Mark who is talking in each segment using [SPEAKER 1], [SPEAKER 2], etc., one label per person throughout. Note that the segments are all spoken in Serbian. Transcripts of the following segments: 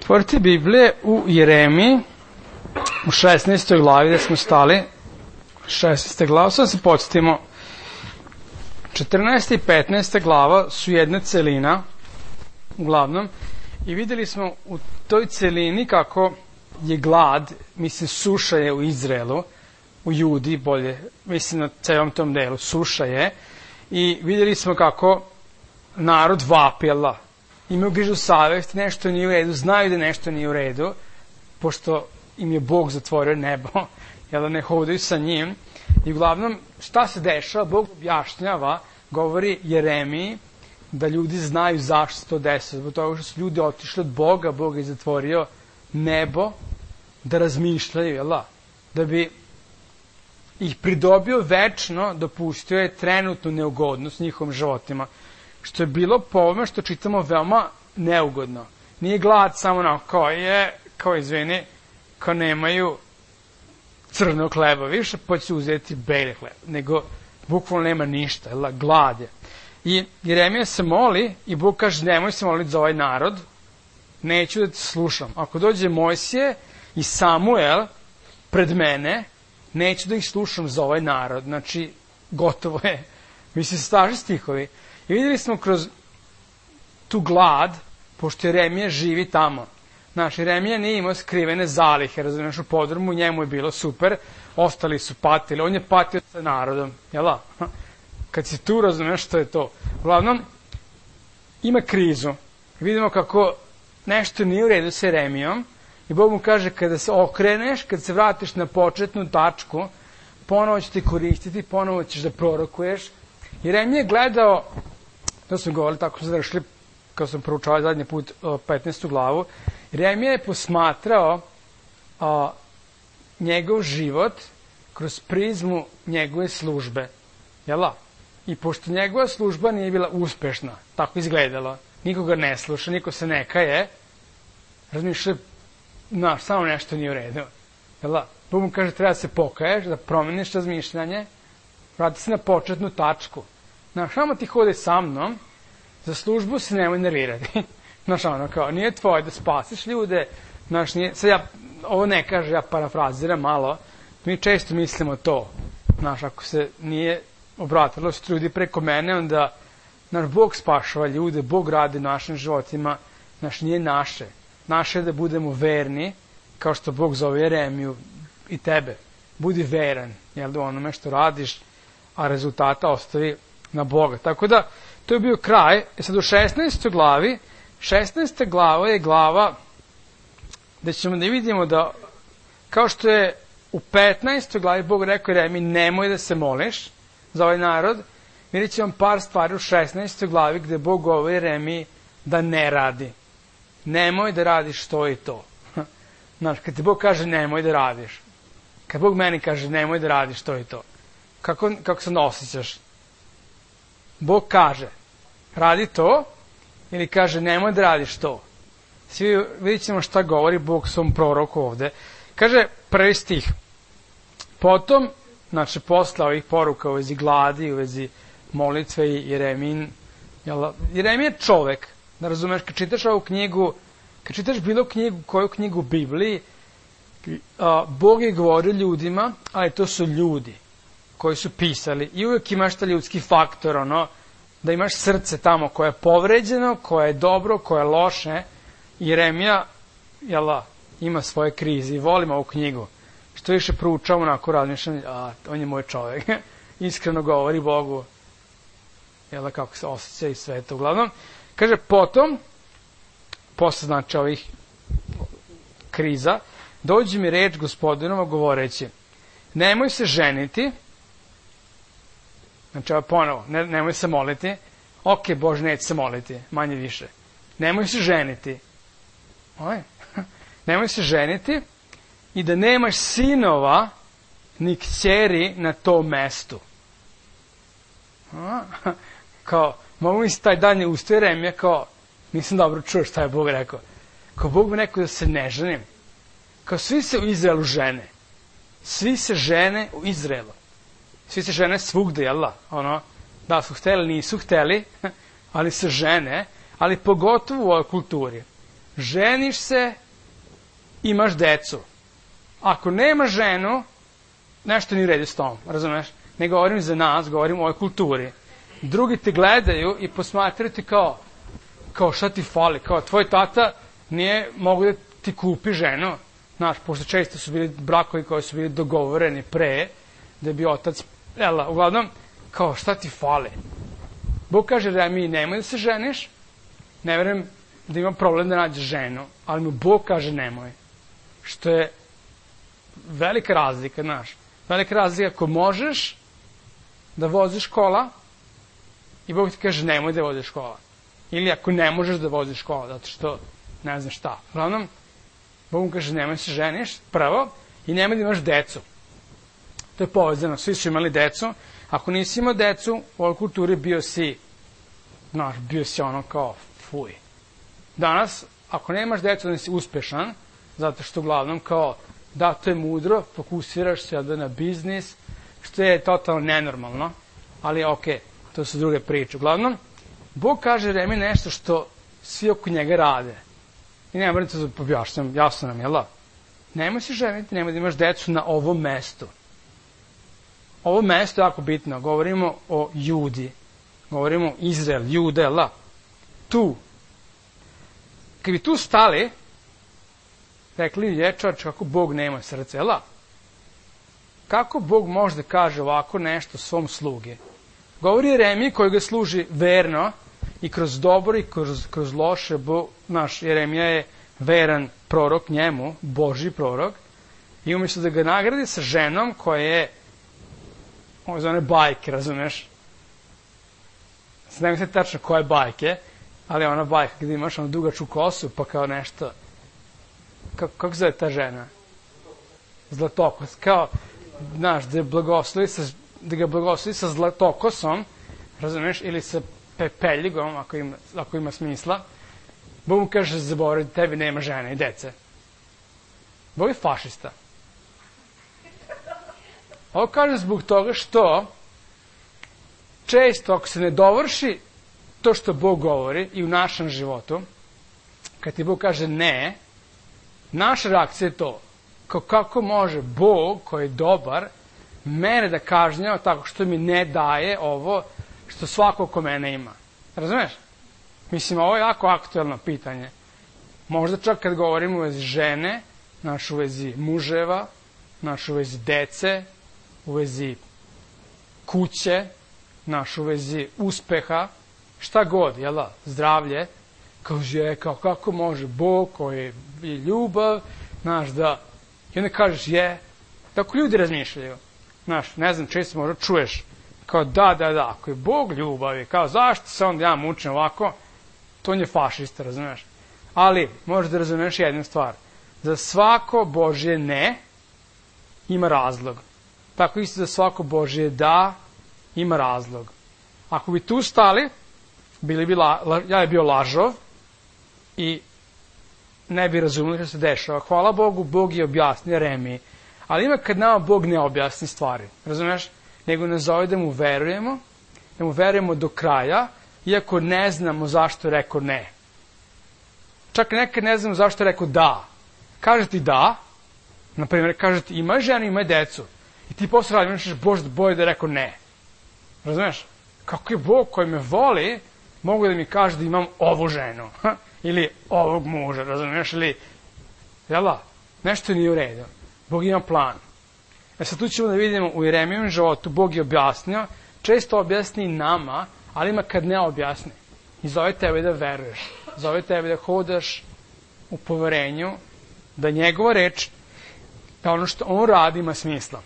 [SPEAKER 1] Otvorite Biblije u Jeremiji, u 16. glavi gde smo stali. 16. glava, sad se podsjetimo. 14. i 15. glava su jedna celina, uglavnom, i videli smo u toj celini kako je glad, mislim suša je u Izraelu, u Judi bolje, mislim na celom tom delu, suša je, i videli smo kako narod vapi Allah. Imaju grižu savest, nešto nije u redu, znaju da nešto nije u redu, pošto im je Bog zatvorio nebo, jel da ne hodaju sa njim. I uglavnom, šta se dešava? Bog objašnjava, govori Jeremiji, da ljudi znaju zašto se to desilo. Zbog toga što su ljudi otišli od Boga, Bog je zatvorio nebo, da razmišljaju, jel da bi ih pridobio večno, dopustio je trenutnu neugodnost njihovim životima. Što je bilo po ovome što čitamo veoma neugodno. Nije glad samo na kao izvini, kao nemaju crnog hleba više, pa će uzeti beli hleb, nego bukvalno nema ništa, glad je. I Jeremija se moli i Bog kaže, nemoj se moliti za ovaj narod, neću da te slušam. Ako dođe Mojsije i Samuel pred mene, neću da ih slušam za ovaj narod. Znači, gotovo je. Mislim, staži stihovi. I vidjeli smo kroz tu glad, pošto Jeremija živi tamo. Znaš, Jeremija nije imao skrivene zalihe, razumiješ, u podrumu, njemu je bilo super, ostali su patili, on je patio sa narodom, jel' kad si tu, razumiješ što je to. Uglavnom, ima krizu. Vidimo kako nešto nije u redu s Jeremijom i Bog mu kaže, kada se okreneš, kada se vratiš na početnu tačku, ponovo će ti koristiti, ponovo ćeš da prorokuješ. Jeremija je gledao, to smo govorili, tako smo završili, kao sam proučavao zadnji put 15. glavu, Jeremija je posmatrao njegov život kroz prizmu njegove službe. Jel' I pošto njegova služba nije bila uspešna, tako izgledalo, nikoga ne sluša, niko se ne kaje, razmišlja, samo nešto nije u redu. Jel' Bog mu kaže, treba da se pokaješ, da promeniš razmišljanje, vrati se na početnu tačku. Samo ti hode sa mnom, za službu se nemoj nervirati. Nije tvoje da spasiš ljude, sad ja ovo ne kaže, ja parafraziram malo, mi često mislimo to, ako se nije obratilo se ljudi preko mene, onda Bog spašava ljude, Bog radi našim životima, nije naše. Naše je da budemo verni, kao što Bog zove Jeremiju i tebe. Budi veran, jel da onome što radiš, a rezultata ostavi na Boga. Tako da, to je bio kraj. Sad u 16. glavi, 16. glava je glava gde ćemo da vidimo da, kao što je u 15. glavi Bog rekao Jeremiji, nemoj da se moliš za ovaj narod, vidjet ćemo par stvari u 16. glavi gde Bog govori Jeremiji da ne radi. Nemoj da radiš to i to. Kad ti Bog kaže nemoj da radiš, kad Bog meni kaže nemoj da radiš to i to, kako se osjećaš? Bog kaže, radi to, ili kaže, nemoj da radiš to. Svi vidjet ćemo šta govori Bog svom proroku ovde. Kaže, prvi stih. Potom, posle ovih poruka u vezi gladi, u vezi molitve i Jeremijin. Jeremija je čovek, da razumeš, kad čitaš ovu knjigu, kad čitaš bilo knjigu, koju knjigu u Bibliji, Bog je govorio ljudima, ali to su ljudi koji su pisali. I uvijek imaš ta ljudski faktor, da imaš srce tamo koje je povređeno, koje je dobro, koje je loše. Jeremija, ima svoje krize i volim ovu knjigu. Što više proučavam, onako razmišljam, on je moj čovjek. Iskreno govori Bogu, kako se osjeća i sve to. Uglavnom, kaže, potom, posle ovih kriza, dođe mi reč Gospodinova govoreći, nemoj se ženiti, ponovo, nemoj se moliti, ok, Bože, neće se moliti, manje više. Nemoj se ženiti. Nemoj se ženiti i da nemaš sinova ni kćeri na tom mestu. Mogu mi se taj dan je ustao Jeremija, nisam dobro čuo šta je Bog rekao. Bog mi rekao da se ne ženim. Svi se u Izraelu žene. Svi se žene u Izraelu. Svi se žene svugde, jel da? Da su hteli, nisu hteli, ali se žene, ali pogotovo u ovoj kulturi. ženiš se, imaš decu. Ako nema ženu, nešto nije u redu s tom, razumeš? Ne govorim za nas, govorim o ovoj kulturi. Drugi te gledaju i posmatraju ti kao šta ti fali, kao tvoj tata nije mogu da ti kupi ženu. Znaš, pošto često su bili brakovi koji su bili dogovoreni pre, da bi otac, uglavnom, kao šta ti fali. Bog kaže Jeremiji, nemoj da se ženiš, ne verujem da ima problem da nađeš ženu, ali mu Bog kaže nemoj. Što je velika razlika, znaš. Velika razlika ako možeš da voziš kola i Bog ti kaže nemoj da voziš kola. Ili ako ne možeš da voziš kola, zato što ne znam šta. Uglavnom, Bog mu kaže nemoj se ženiš, prvo, i nemoj da imaš decu. To je povezano, svi su imali decu. Ako nisi imao decu, u ovoj kulturi bio si ono kao fuj. Danas, ako nemaš decu, onda si uspešan, zato što uglavnom kao da, to je mudro, fokusiraš se na biznis, što je totalno nenormalno, ali okej, to su druge priče. Uglavnom, Bog kaže Jeremiji nešto što svi oko njega rade. I nema vremena da objašnjam, jasno nam, jel da? Nemoj se ženiti, nemoj da imaš decu na ovom mestu. Ovo mesto je jako bitno, govorimo o Judi, govorimo Izrael, Jude, jel da? Tu. Kad bi tu stali, rekli lječač kako Bog nema srce, jel da? Kako Bog može da kaže ovako nešto svom slugi? Govori Jeremiji koji ga služi verno i kroz dobro i kroz loše. Naš Jeremija je veran prorok njemu, Božji prorok, i umjesto da ga nagradi sa ženom koja je za one bajke, razumeš? Ne mislim tačno koje bajke, ali ona bajka gdje imaš onu dugaču kosu, pa kao nešto. Kako zove ta žena? Zlatokos. Kao, znaš, da ga blagoslovi sa zlatokosom, razumeš, ili sa pepeljigom, ako ima smisla. Bog mu kaže, zaboravi, tebi nema žene i dece. Bog je fašista. Ovo kažem zbog toga što često ako se ne dovrši to što Bog govori i u našem životu, kad ti Bog kaže ne, naša reakcija je to. Kako može Bog koji je dobar mene da kažnjava tako što mi ne daje ovo što svako oko mene ima. Razumeš? Mislim, ovo je jako aktuelno pitanje. Možda čak kad govorimo u vezi žene, naš u vezi muževa, naš u vezi dece, u vezi kuće, naš u vezi uspeha, šta god, jel da, zdravlje, kaže, kako može Bog koji je ljubav, znaš, da, i onda kažeš, tako ljudi razmišljaju, znaš, ne znam, često možda čuješ, kao da, ako je Bog ljubav, kao zašto se onda ja mučim ovako, to on je fašista, razumiješ, ali možeš da razumiješ jednu stvar, za svako Božje ne ima razlog. Tako isto za svako Božje da ima razlog. Ako bi tu stali, ja je bio lažov i ne bi razumeli što se dešava. Hvala Bogu, Bog je objasnio Jeremiji. Ali ima kad nama Bog ne objasni stvari, razumeš? Nego nas zove da mu verujemo do kraja, iako ne znamo zašto je rekao ne. Čak nekad ne znamo zašto je rekao da. Kaže ti da, na primjer, kaže ti ima ženu, ima decu. I ti posle radi, misliš, Bože, bolje da je rekao ne. Razumeš? Kako je Bog koji me voli, mogu da mi kaže da imam ovu ženu. Ili ovog muža, razumeš? Ili, jel da? Nešto nije u redu. Bog ima plan. Sad tu ćemo da vidimo u Jeremijevom životu, Bog je objasnio, često objasni nama, ali ima kad ne objasni. I zove tebe da veruješ. Zove tebe da hodaš u poverenju, da njegova reč, da ono što on radi ima smisla.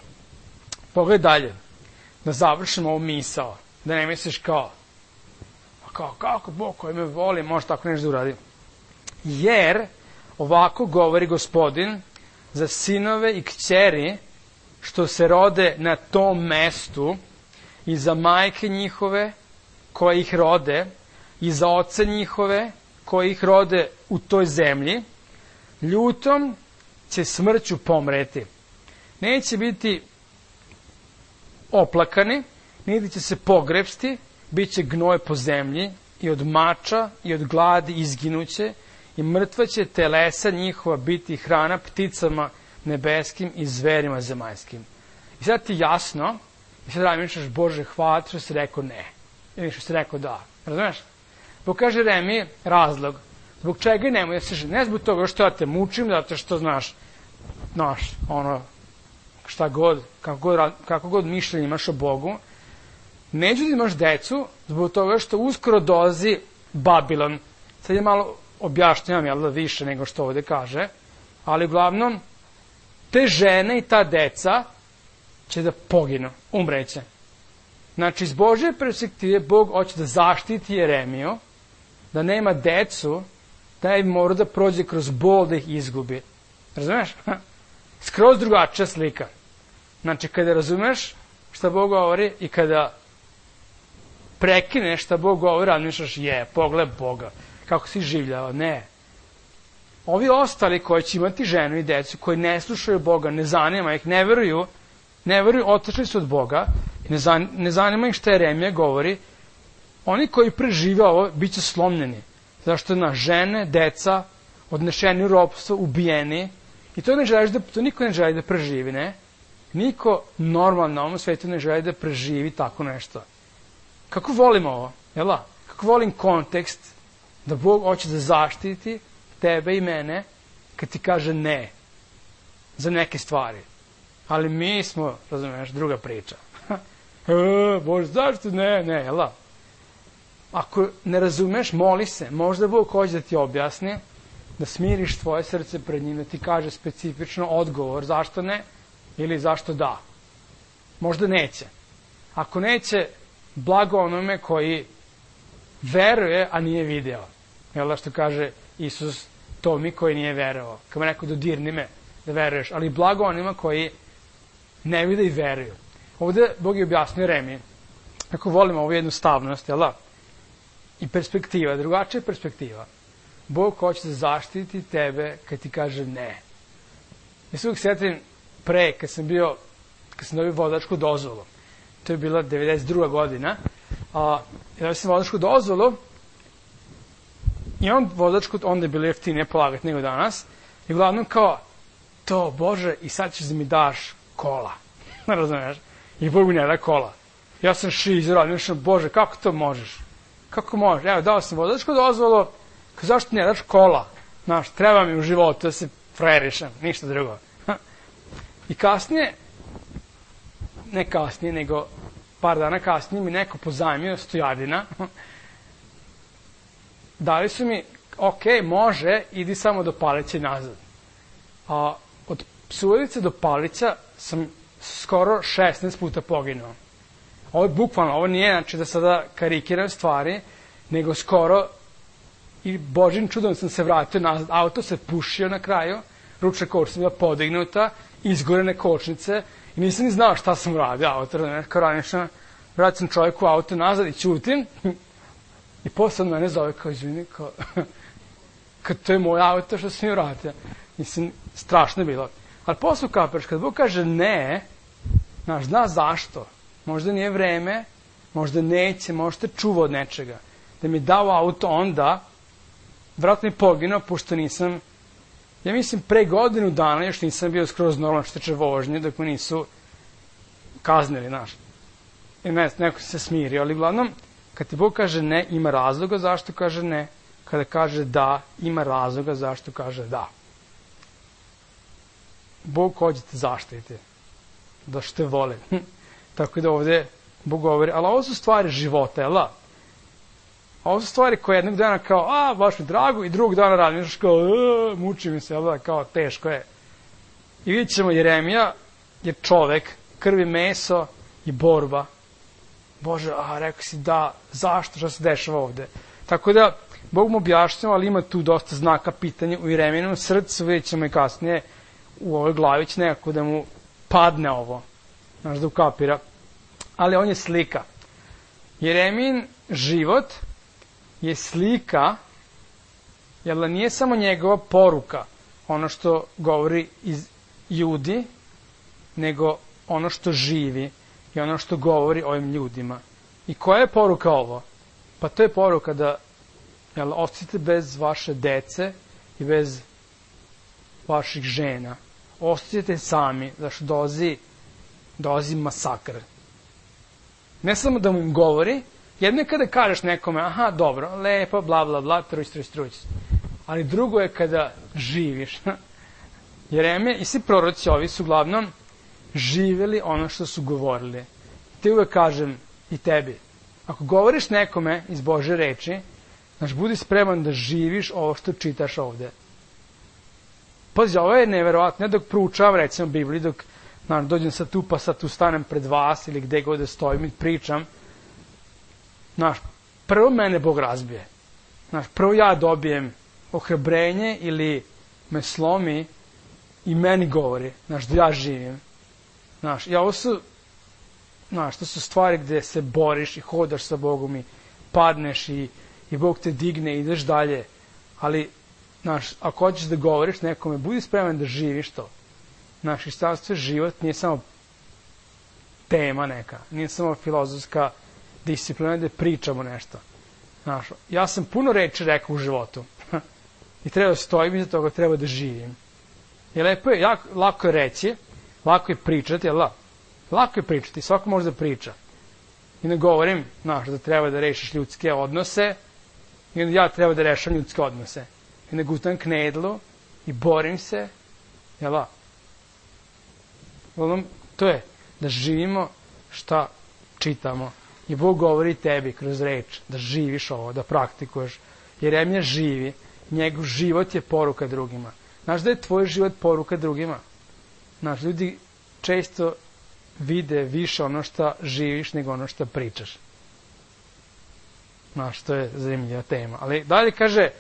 [SPEAKER 1] Pogledaj dalje, da završimo ovu misao, da ne misliš kako Bog koji me voli može tako nešto da uradi. Jer ovako govori Gospodin za sinove i kćeri što se rode na tom mestu i za majke njihove koje ih rode i za oce njihove koji ih rode u toj zemlji, ljutom će smrću pomreti. Neće biti oplakani, niti će se pogrepsti, bit će gnoj po zemlji i od mača i od gladi izginuće i mrtva će telesa njihova biti hrana pticama nebeskim i zverima zemaljskim. I sad ti jasno, i sad razmišljaš, Bože, hvala što si rekao ne, ili što si rekao da. Razumeš? Bog kaže Jeremiji razlog, zbog čega nemoj da se ženi. Ne zbog toga što ja te mučim, zato što znaš, šta god, kako god mišljenje imaš o Bogu, neću da imaš decu zbog toga što uskoro dolazi Babilon. Sad je malo objašnjavam, jel da, više nego što ovde kaže, ali uglavnom, te žene i ta deca će da poginu, umreće. Znači, iz Božje perspektive, Bog hoće da zaštiti Jeremiju, da nema decu, da je mora da prođe kroz bol da ih izgubi. Razumeš? Skroz drugačija slika. Znači, kada razumeš šta Bog govori i kada prekineš šta Bog govori, razmišljaš, pogled Boga, kako si življava. Ne. Ovi ostali koji će imati ženu i decu, koji ne slušaju Boga, ne zanima ih, ne veruju, otišli su od Boga, ne zanima ih šta Jeremija govori, oni koji prežive ovo, bit će slomljeni. Zašto na žene, deca, odnešeni u ropstvo, ubijeni, i to niko ne želi da preživi, ne? Niko normalno na ovom svetu ne želi da preživi tako nešto. Kako volim ovo, jel' da? Kako volim kontekst da Bog hoće da zaštiti tebe i mene kad ti kaže ne za neke stvari. Ali mi smo, razumiješ, druga priča. Bože, zašto ne, jel' da? Ako ne razumeš, moli se. Možda Bog hoće da ti objasni, da smiriš tvoje srce pred njim, da ti kaže specifično odgovor zašto ne ili zašto da. Možda neće. Ako neće, blago onome koji veruje, a nije video. Jel da što kaže Isus Tomi koji nije verovao. Kad mu rekao dodirni me da veruješ, ali blago onima koji ne vide i veruju. Ovde Bog je objasnio Jeremiji. Ako volimo ovu jednostavnost, jel da? I perspektiva, drugačija perspektiva. Bog hoće da zaštiti tebe kad ti kaže ne. Ja se uvijek sjetim pre, kad sam dobio vozačku dozvolu. To je bila 92. godina. Ja sam vozačku dozvolu i onda je bilo jeftinije polagati nego danas. I uglavnom kao, to Bože, i sad ćeš da mi daš kola. Razumiješ? I Bog mi ne da kola. Ja sam šizoran, mislim, Bože, kako to možeš? Kako možeš? Evo, dao sam vozačku dozvolu, zašto ne daš kola? Znaš, treba mi u životu da se frerišem, ništa drugo. I kasnije, ne kasnije, nego par dana kasnije mi neko pozajmio stojadina. Dali su mi, ok, može, idi samo do Palića i nazad. A od Subotice do Palića sam skoro 16 puta poginuo. Ovo je bukvalno, ovo nije, znači da sada karikiram stvari, nego skoro i Božjim čudom sam se vratio nazad. Auto se pušio na kraju, ručna kočnica bila podignuta, izgorene kočnice i nisam ni znao šta sam uradio auto. Kao ranično, vraćam čovjeku auto nazad i ćutim i posle mene zove kao izvini, kad to je moj auto što sam mi uradio. Mislim, strašno je bilo. Ali posle kapiraš, kad Bog kaže ne, zna zašto. Možda nije vreme, možda neće, možda te čuva od nečega. Da mi dao auto onda, vratno je poginuo, pošto nisam, ja mislim, pre godinu dana još nisam bio skroz normalno što teče vožnje, dok me nisu kaznili, znaš. I neko se smirio, ali uglavnom, kad ti Bog kaže ne, ima razloga zašto kaže ne, kada kaže da, ima razloga zašto kaže da. Bog hoće te zaštiti, da što te vole. Tako da ovde Bog govori, ali ovo su stvari života, jel da? Ovo su stvari koje jednog dana kao, baš mi drago, i drugog dana razmišljaš kao, muči mi se, jel da, kao teško je. I vidjet ćemo, Jeremija je čovek, krvi meso i borba. Bože, rekao si da, zašto, što se dešava ovde? Tako da, Bog mu objašnjava, ali ima tu dosta znaka pitanja u Jeremijinom srcu, vidjet ćemo i kasnije u ovoj glavi će nekako da mu padne ovo, znaš, da ukapira. Ali on je slika. Jeremijin život je slika, jer da nije samo njegova poruka, ono što govori iz ljudi, nego ono što živi i ono što govori ovim ljudima. I koja je poruka ovo? Pa to je poruka da Jel, ostajete bez vaše dece i bez vaših žena. Ostajete sami, zašto dolazi masakr. Ne samo da mu im govori, jedno je kada kažeš nekome, aha, dobro, lepo, bla, bla, bla, truć. Ali drugo je kada živiš. Jeremija i svi proroci ovi su uglavnom živjeli ono što su govorili. Ti uvek kažem i tebi, ako govoriš nekome iz Božje reči, znaš, budi spreman da živiš ovo što čitaš ovde. Pazi, ovo je neverovatno, ne dok proučavam, recimo, Bibliju, dok dođem sad tu, pa sad tu stanem pred vas ili gde god da stojim i pričam, znaš, prvo mene Bog razbije. Znaš, prvo ja dobijem ohrabrenje ili me slomi i meni govori, znaš, da ja živim. Znaš, i ovo su, znaš, to su stvari gde se boriš i hodaš sa Bogom i padneš i Bog te digne i ideš dalje. Ali, znaš, ako hoćeš da govoriš nekome, budi spreman da živiš to. Znaš, hrišćanstvo je život, nije samo tema neka, nije samo filozofska disciplina da pričamo nešto. Znaš, ja sam puno reči rekao u životu i treba da stojim iza toga, treba da živim. I lepo je, lako je reći, lako je pričati, jel da? Lako je pričati, svako može da priča. I ne govorim, znaš, da treba da rešiš ljudske odnose, i onda ja treba da rešam ljudske odnose. I ne gutam knedlu i borim se, jel da? To je da živimo šta čitamo. I Bog govori tebi kroz reč da živiš ovo, da praktikuješ. Jeremija živi, njegov život je poruka drugima. Znaš da je tvoj život poruka drugima? Znaš, ljudi često vide više ono što živiš nego ono što pričaš. Znaš, to je zanimljiva tema. Ali dalje kaže,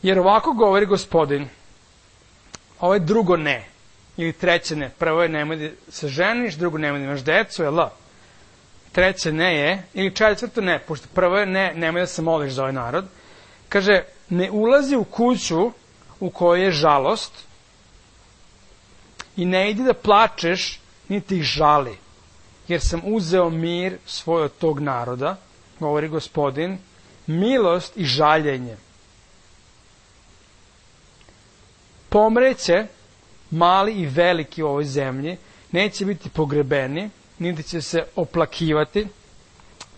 [SPEAKER 1] jer ovako govori Gospodin, ovo je drugo ne. Ili treće ne. Prvo je nemoj da se ženiš, drugo nemoj da imaš decu, jel da? Treće ne je, ili četvrto ne, pošto prvo je ne, nemoj da se moliš za ovaj narod. Kaže, ne ulazi u kuću u kojoj je žalost i ne idi da plačeš, niti ih žali, jer sam uzeo mir svoj od tog naroda, govori Gospodin, milost i žaljenje. Pomreće mali i veliki u ovoj zemlji, neće biti pogrebeni, niti će se oplakivati,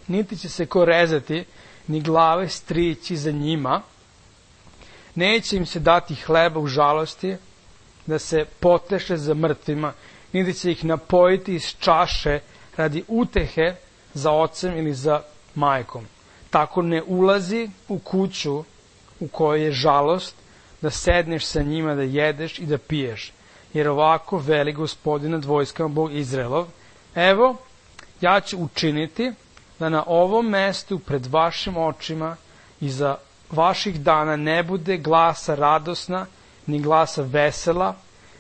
[SPEAKER 1] niti će se ko rezati, ni glave strići za njima, neće im se dati hleba u žalosti, da se poteše za mrtvima, niti će ih napojiti iz čaše radi utehe za ocem ili za majkom. Tako ne ulazi u kuću u kojoj je žalost, da sedneš sa njima, da jedeš i da piješ. Jer ovako veli Gospodin nad vojskama, Bog Izraelov, evo, ja ću učiniti da na ovom mestu pred vašim očima i za vaših dana ne bude glasa radosna, ni glasa vesela,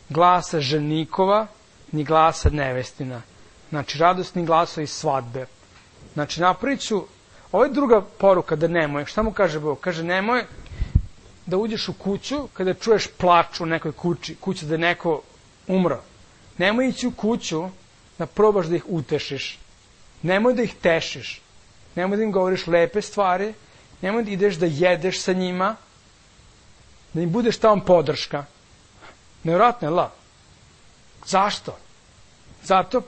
[SPEAKER 1] glasa ženikova, ni glasa nevestina. Znači, radosni glasovi svadbe. Znači, napravit ću, ovo je druga poruka da nemoj. Šta mu kaže Bog? Kaže, nemoj da uđeš u kuću kada čuješ plač u nekoj kući da je neko umro. Nemoj ići u kuću da probaš da ih utešiš. Nemoj da ih tešiš. Nemoj da im govoriš lepe stvari. Nemoj da ideš da jedeš sa njima. Da im budeš tamo podrška. Nevjerojatno je la. Zašto? Zato,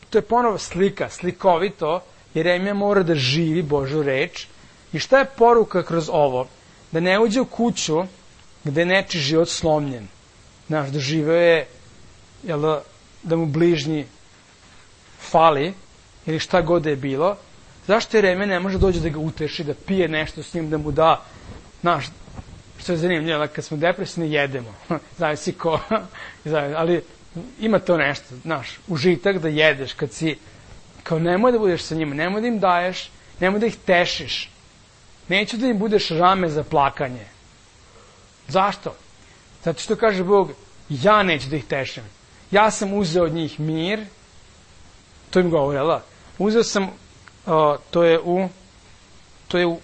[SPEAKER 1] to je ponovo slika, slikovito, Jeremija mora da živi Božju reč. I šta je poruka kroz ovo? Da ne uđe u kuću gde je nečiji život slomljen. Znaš, da živeo je, da mu bližnji fali, ili šta god je bilo. Zašto Jeremija ne može dođe da ga uteši, da pije nešto s njim, da mu da, znaš, što je zanimljivo, kad smo depresivni jedemo, zavisi ko, ali ima to nešto, znaš, užitak da jedeš, kad si, kao nemoj da budeš sa njima, nemoj da im daješ, nemoj da ih tešiš, neću da im budeš rame za plakanje. Zašto? Zato što kaže Bog, ja neću da ih tešim, ja sam uzeo od njih mir, to im govori, jel da? Uzeo sam, to je u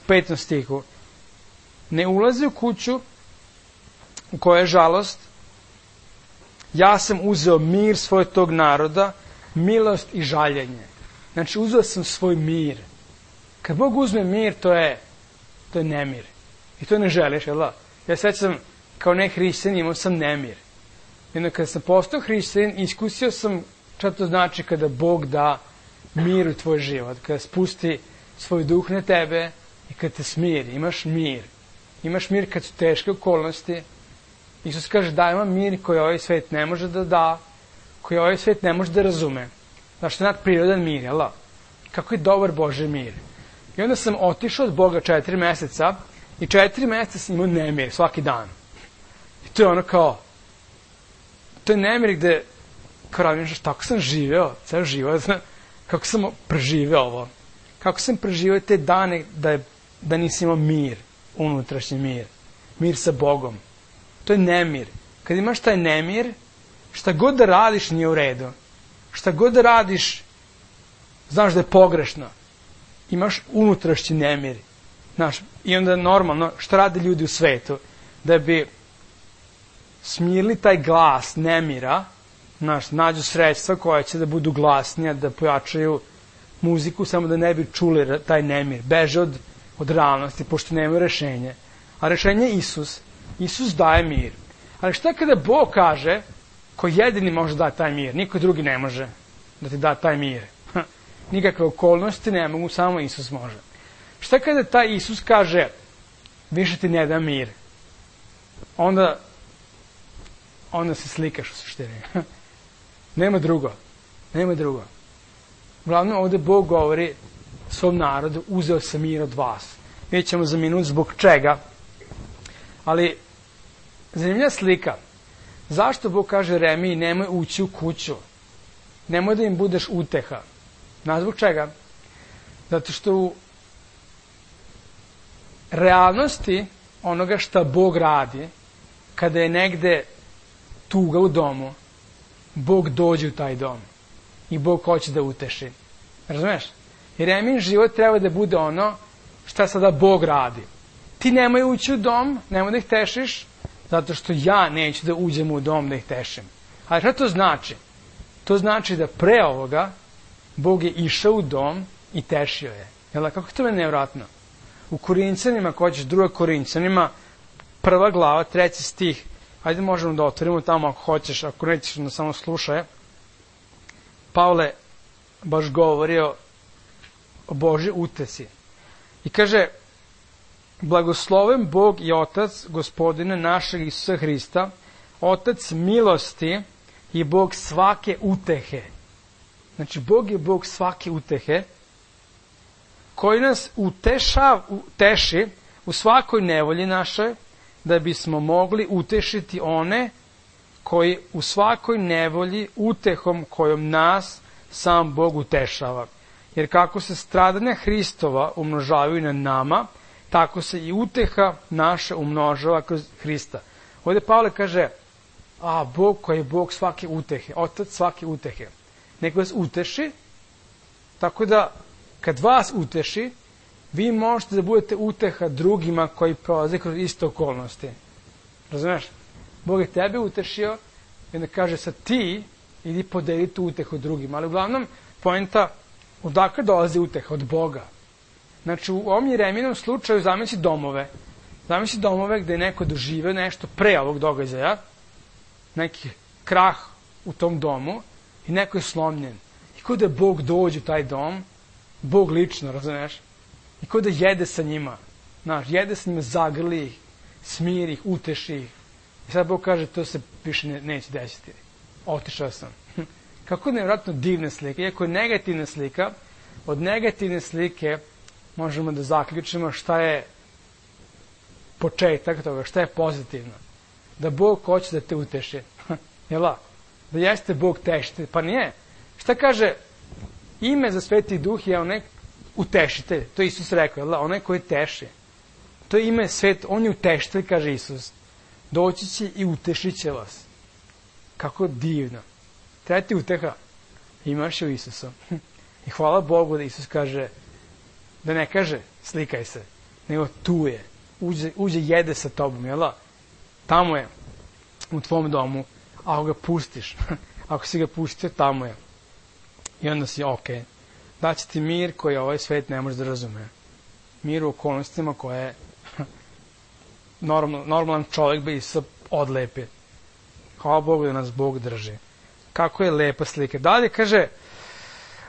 [SPEAKER 1] 5. stihu, ne ulazi u kuću u kojoj je žalost, ja sam uzeo mir svoj tog naroda, milost i žaljenje. Znači, uzeo sam svoj mir. Kad Bog uzme mir, to je To je nemir. I to ne želiš, jel da? Ja sećam, kao ne hrišćanin, imao sam nemir. Jedno, kada sam postao hrišćanin, iskusio sam šta to znači kada Bog da mir u tvoj život, kada spusti svoj duh na tebe i kada te smiri, imaš mir. Imaš mir kad su teške okolnosti. Isus kaže, daj vam mir koji ovaj svet ne može da da, koji ovaj svet ne može da razume. Znaš, to je nadprirodan mir, jel da? Kako je dobar Božji mir. I onda sam otišao od Boga 4 meseca i 4 meseca sam imao nemir svaki dan. I to je ono kao, to je nemir gde, kao radim, tako sam živeo, ceo život, kako sam preživeo ovo. Kako sam preživeo te dane da nisam imao mir, unutrašnji mir. Mir sa Bogom. To je nemir. Kad imaš taj nemir, šta god da radiš nije u redu. Šta god da radiš, znaš da je pogrešno. Imaš unutrašnji nemir. Znaš, i onda normalno, šta rade ljudi u svetu? Da bi smirili taj glas nemira, znaš, nađu sredstva koja će da budu glasnija, da pojačaju muziku, samo da ne bi čuli taj nemir. Beže od realnosti, pošto nema rešenje. A rešenje je Isus. Isus daje mir. Ali šta kada Bog kaže, ko jedini može da taj mir, niko drugi ne može da ti da taj mir. Nikakve okolnosti ne mogu, samo Isus može. Šta kada taj Isus kaže, više ti ne da mir? Onda se slikaš u suštini. Nema drugo. Nema drugo. Uglavnom, ovde Bog govori svom narodu, uzeo sam mir od vas. Vidjet ćemo za minut zbog čega. Ali, zanimljiva slika. Zašto Bog kaže Jeremiji, nemoj ući u kuću? Nemoj da im budeš uteha. Znaš zbog čega? Zato što u realnosti onoga šta Bog radi, kada je negde tuga u domu, Bog dođe u taj dom. I Bog hoće da uteši. Razumeš? Jeremijin život treba da bude ono šta sada Bog radi. Ti nemoj ući u dom, nemoj da ih tešiš, zato što ja neću da uđem u dom da ih tešim. Ali šta to znači? To znači da pre ovoga Bog je išao u dom i tešio je. Jel, kako je to meni nevratno? U Korinćanima, ko ćeš, 2. Korinćanima, 1. glava, 3. stih, ajde možemo da otvorimo tamo ako hoćeš, ako nećeš da samo slušaj. Pavle baš govorio o Božji utesi. I kaže, blagosloven Bog i Otac Gospodina našeg Isusa Hrista, Otac milosti i Bog svake utehe. Znači, Bog je Bog svake utehe, koji nas uteši u svakoj nevolji našoj, da bismo mogli utešiti one koji u svakoj nevolji utehom kojom nas sam Bog utešava. Jer kako se stradanja Hristova umnožavaju na nama, tako se i uteha naša umnožava kroz Hrista. Ovdje Pavle kaže, Bog koji je Bog svake utehe, Otac svake utehe. Nek vas uteši, tako da kad vas uteši, vi možete da budete uteha drugima koji prolaze kroz iste okolnosti. Razumeš? Bog je tebe utešio i onda kaže sad ti idi podeli tu utehu drugima. Ali uglavnom, poenta, odakle dolazi uteha? Od Boga. Znači, u ovom Jeremijinom slučaju zamisli domove. Zamisli domove gde je neko doživeo nešto pre ovog događaja, neki krah u tom domu i neko je slomljen. I kao da Bog dođe u taj dom, Bog lično, razumeš? I kao da jede sa njima. Znaš, jede sa njima, zagrli ih, smiri ih, uteši ih. I sad Bog kaže, to se više neće desiti. Otišao sam. Kako je nevjerojatno divna slika. Iako je negativna slika, od negativne slike možemo da zaključimo šta je početak toga, šta je pozitivno. Da Bog hoće da te uteši. Jel' da jeste Bog tešitelj? Pa nije. Šta kaže, ime za Sveti Duh je onaj utešitelj. To je Isus rekao, jel' onaj koji teši. To je ime svet, on je utešitelj, kaže Isus. Doći će i utešit će vas. Kako divno. Treba ti uteha. Imaš je u Isusu. I hvala Bogu da Isus kaže, da ne kaže slikaj se, nego tu je. Uđe jede sa tobom, jel' tamo je, u tvom domu, ako ga pustiš, ako si ga pustio, tamo je. I onda si ok. Daće ti mir koji ovaj svet ne može da razume. mir u okolnostima koje normalan čovjek bi se odlepio. Hvala Bogu da nas Bog drži. Kako je lepa slika. Dalje kaže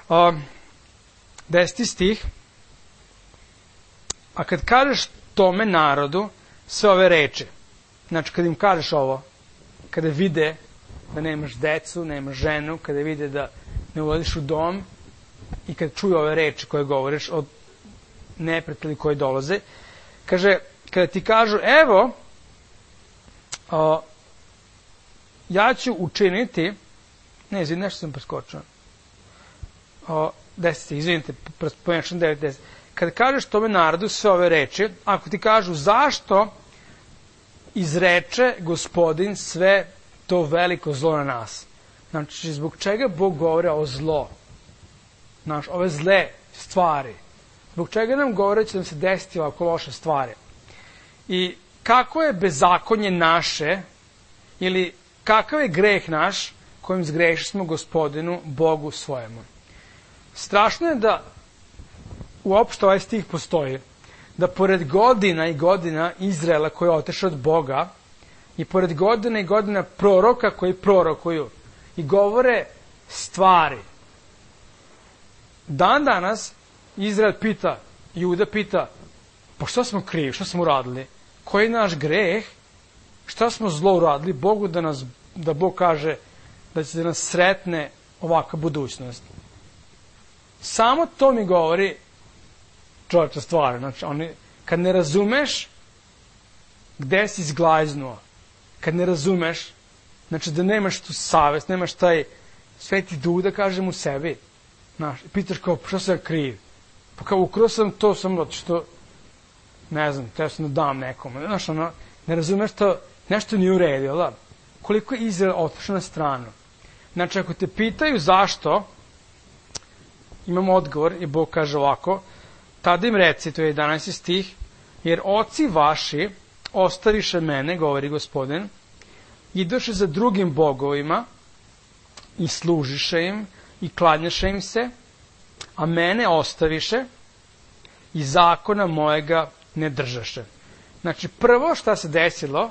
[SPEAKER 1] 10. stih, a kad kažeš tome narodu sve ove reči, znači kad im kažeš ovo, kada vide da nemaš decu, nemaš ženu, kada vide da ne ulaziš u dom i kad čuju ove reči koje govoriš od neprijatelja koji dolaze, kaže, kada ti kažu, evo, ja ću učiniti, ne, izvini, nešto sam preskočio, 10, izvinite, pomešam 9, 10. Kada kažeš tome narodu sve ove reči, ako ti kažu zašto izreče Gospodin sve to veliko zlo na nas. Znači, zbog čega Bog govori o zlo? Znači, ove zle stvari. Zbog čega nam govori će nam se desiti ovako loše stvari? I kako je bezakonje naše, ili kakav je greh naš kojim zgrešili smo Gospodinu, Bogu svojemu? Strašno je da uopšte ovaj stih postoji, da pored godina i godina Izraela koji je otišao od Boga i pored godina i godina proroka koji prorokuju i govore stvari, dan danas Izrael pita, Juda pita, pa šta smo krivi, šta smo uradili, koji je naš greh, šta smo zlo uradili Bogu da Bog kaže da će nas sretne ovakva budućnost. Samo to mi govori čovječa stvari. Znači, kad ne razumeš gde si zglajznuo, kad ne razumeš, znači da nemaš tu savest, nemaš taj sveti duh da kažem u sebi, znaš, pitaš kao, što sam kriv? Pa kao, ukrao sam to samo što, ne znam, treba sam da dam nekome. Znaš, ne razumeš to, nešto nije uredio, da? Koliko je Izrael otišao na stranu? Znači, ako te pitaju zašto, imamo odgovor i Bog kaže ovako, tada im reci, to je 11. stih, jer oci vaši ostaviše mene, govori Gospodin, idoše za drugim bogovima i služiše im i klanjaše im se, a mene ostaviše i zakona mojega ne držaše. Znači, prvo šta se desilo,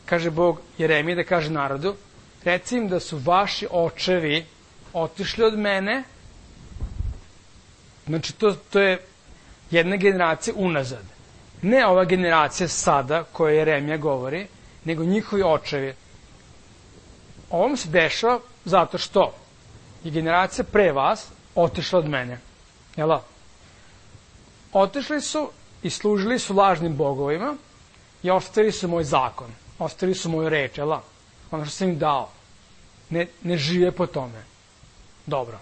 [SPEAKER 1] kaže Bog Jeremiji da kaže narodu, reci im da su vaši očevi otišli od mene. Znači, to je jedna generacija unazad. Ne ova generacija sada, koja Jeremija govori, nego njihovi očevi. Ovom se dešava zato što je generacija pre vas otišla od mene. Jel' otišli su i služili su lažnim bogovima i ostavili su moj zakon. Ostavili su moju reč, jel' ono što sam im dao. Ne žive po tome. Dobro.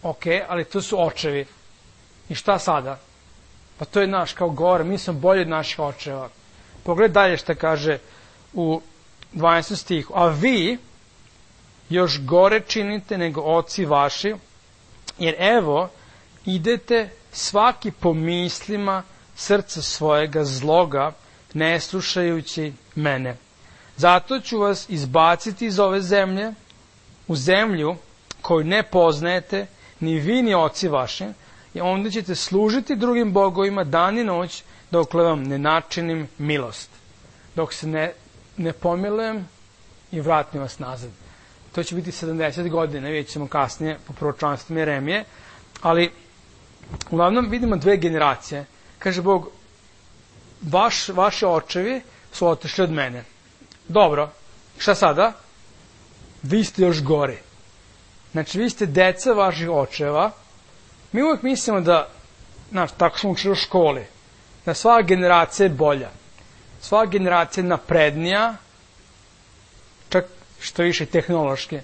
[SPEAKER 1] Ok, ali to su očevi. I šta sada? Pa to je naš kao gore, mi smo bolji od naših očeva. Pogledaj dalje šta kaže u 12. stihu. A vi još gore činite nego oci vaši, jer evo, idete svaki po mislima srca svojega zloga, ne slušajući mene. Zato ću vas izbaciti iz ove zemlje, u zemlju koju ne poznajete, ni vi ni oci vaši, i onda ćete služiti drugim bogovima dan i noć, dokle vam ne načinim milost. Dok se ne pomilujem i vratim vas nazad. To će biti 70 godina, vidjet ćemo kasnije po proročanstvu Jeremije, ali uglavnom vidimo dve generacije. Kaže Bog, vaši očevi su otišli od mene. Dobro, šta sada? Vi ste još gori. Znači, vi ste deca vaših očeva. Mi uvijek mislimo da, znači, tako smo učili u školi, da svaka generacija je bolja. Svaka generacija je naprednija, čak što više tehnološki.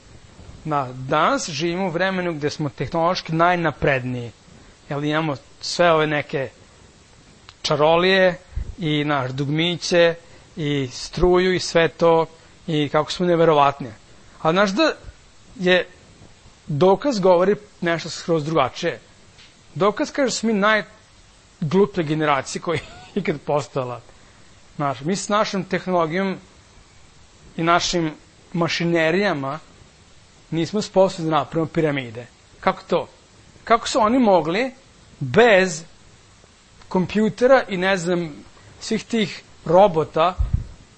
[SPEAKER 1] Danas živimo u vremenu gde smo tehnološki najnapredniji. Jer imamo sve ove neke čarolije i dugmiće i struju i sve to i kako smo neverovatni. Ali znaš da je dokaz govori nešto skroz drugačije. Dokaz kaže da smo mi najgluplja generacija koja je ikad postala. Mi s našom tehnologijom i našim mašinerijama nismo sposobni da napravimo piramide. Kako to? Kako su oni mogli bez kompjutera i ne znam, svih tih robota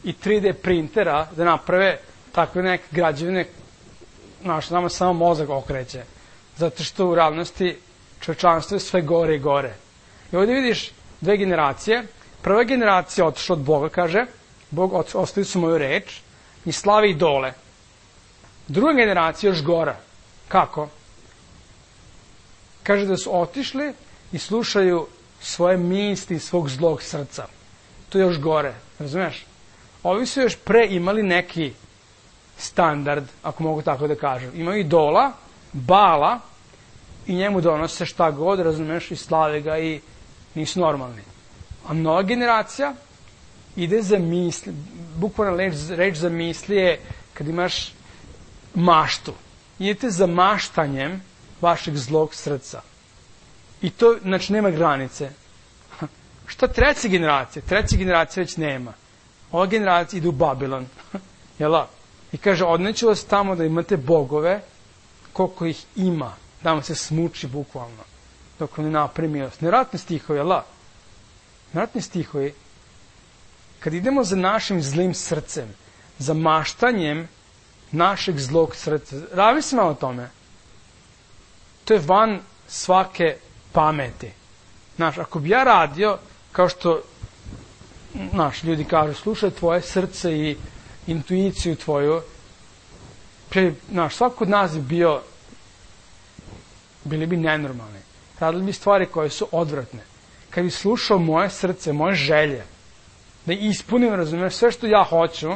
[SPEAKER 1] i 3D printera da naprave takve neke građevine, nama samo mozak okreće. Zato što u realnosti čovečanstvo je sve gore i gore. I ovdje vidiš dve generacije. Prva generacija otišla od Boga, kaže, Bog ostavili su moju reč i slavi idole. Druga generacija još gora. Kako? Kaže da su otišli i slušaju svoje misli svog zlog srca. To je još gore, razumiješ? Ovi su još pre imali neki standard, ako mogu tako da kažem. Imaju idola, Bala, i njemu donose šta god, razumiješ, i slave ga i nisu normalni. A nova generacija ide za misli, bukvalno reč za misli je kad imaš maštu. Idete za maštanjem vašeg zlog srca. I to, znači, nema granice. Šta treća generacija? Treća generacija već nema. Ova generacija ide u Babilon. Jel' I kaže, odneću vas tamo da imate bogove, koliko ih ima, da vam se smuči bukvalno, dok vam ne napravi milost. Nevratni stihovi, jel' Nevratni stihovi. Kad idemo za našim zlim srcem, za maštanjem našeg zlog srca, razmisli malo o tome. To je van svake pameti. Znaš, ako bi ja radio, kao što ljudi kažu, slušaj tvoje srce i intuiciju tvoju, svako od nas bi bili bi nenormalni. Radili bi stvari koje su odvratne. Kad bi slušao moje srce, moje želje, da ispunim, razumiješ, sve što ja hoću,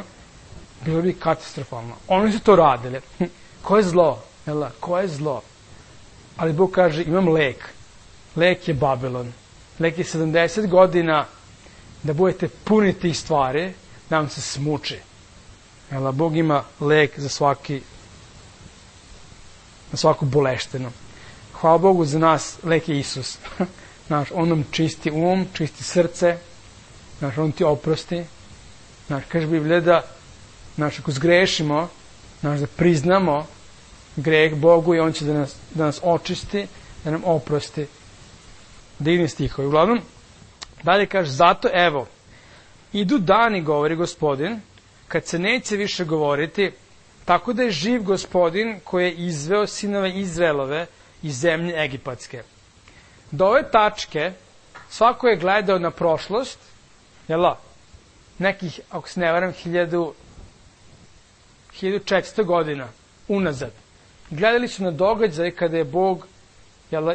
[SPEAKER 1] bilo bi katastrofalno. Oni su to radili. Ko je zlo? Ko je zlo? Ali Bog kaže, imam lek. Lek je Babilon. Lek je 70 godina da budete puni tih stvari, da vam se smuči. Bog ima lek za svaku boleštinu. Hvala Bogu za nas, lek je Isus. On nam čisti čisti srce, on ti oprosti. Kaže Biblija da ako zgrešimo, da priznamo greh Bogu i on će da nas očisti, da nam oprosti. Divni stihovi. Uglavnom, dalje kaže, zato evo, idu dani, govori Gospodin, kad se neće više govoriti, tako da je živ Gospodin koji je izveo sinove Izraelove iz zemlje egipatske. Do ove tačke svako je gledao na prošlost, nekih, ako se ne varam, 1400 godina unazad. Gledali su na događaj kada je Bog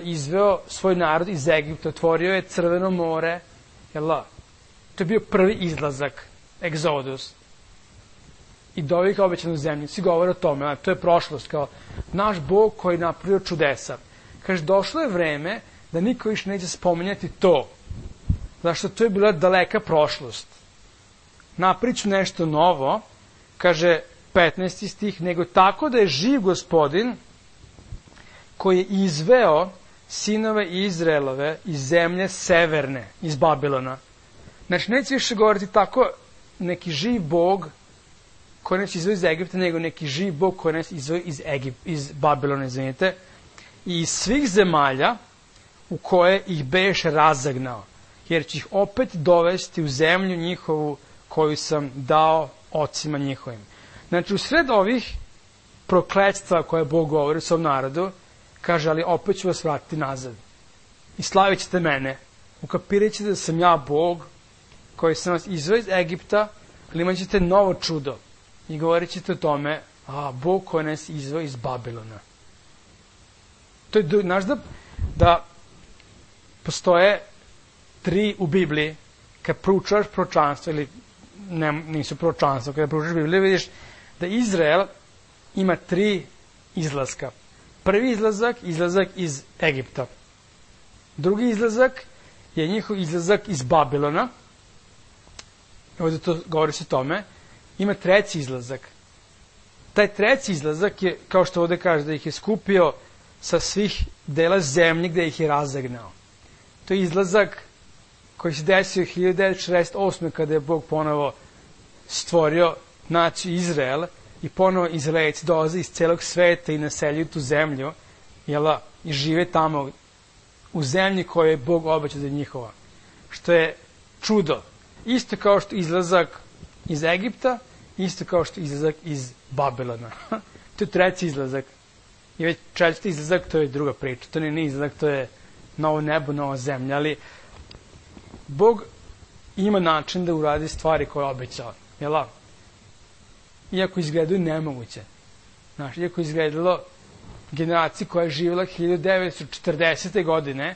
[SPEAKER 1] izveo svoj narod iz Egipta, otvorio je Crveno more, to je bio prvi izlazak, egzodus, i doveo ih obećanu zemlju. Svi govore o tome, to je prošlost, kao naš Bog koji je napravio čudesa. Kaže, došlo je vreme da niko više neće spominjati to, zašto to je bila daleka prošlost. Napriču nešto novo, kaže 15. stih, nego tako da je živ Gospodin koji je izveo sinove Izraelove iz zemlje severne, iz Babilona. Znači, neće više govoriti tako neki živ Bog koji nas izveo iz Egipta, nego neki živ Bog koji nas izveo iz Babilona, izvinite, i iz svih zemalja u koje ih beše razagnao, jer će ih opet dovesti u zemlju njihovu koju sam dao ocima njihovim. Znači, u sred ovih prokletstva koje Bog govori u svom narodu, kaže, ali opet ću vas vratiti nazad. I slavit ćete mene. Ukapirat ćete da sam ja Bog koji sam vas izveo iz Egipta, ali imat ćete novo čudo. I govorit ćete o tome, Bog koji nas izveo iz Babilona. To je, znaš da postoje 3 u Bibliji, kad proučavaš proročanstvo, ili nisu proročanstvo, kada proučavaš Bibliju, vidiš da Izrael ima 3 izlaska. Prvi izlazak iz Egipta. Drugi izlazak je njihov izlazak iz Babilona. Ovdje to govori se o tome. Ima 3. izlazak. Taj 3. izlazak je, kao što ovdje kaže, da ih je skupio sa svih dela zemlje gde ih je razagnao. To je izlazak koji se desio 1948. kada je Bog ponovo stvorio naciju Izrael i ponovo Izraelci dolaze iz celog sveta i naseljuju tu zemlju, i žive tamo u zemlji koju je Bog obećao da je njihova. što je čudo. Isto kao što izlazak iz Egipta, isto kao što izlazak iz Babilona. To je treći izlazak. I već četvrti izlazak, to je druga priča. To nije izlazak, to je novo nebo, nova zemlja. Ali Bog ima način da uradi stvari koje je obećao. Jel' la? Iako izgledaju nemoguće. Znaš, iako izgledalo generaciji koja je živjela 1940. godine,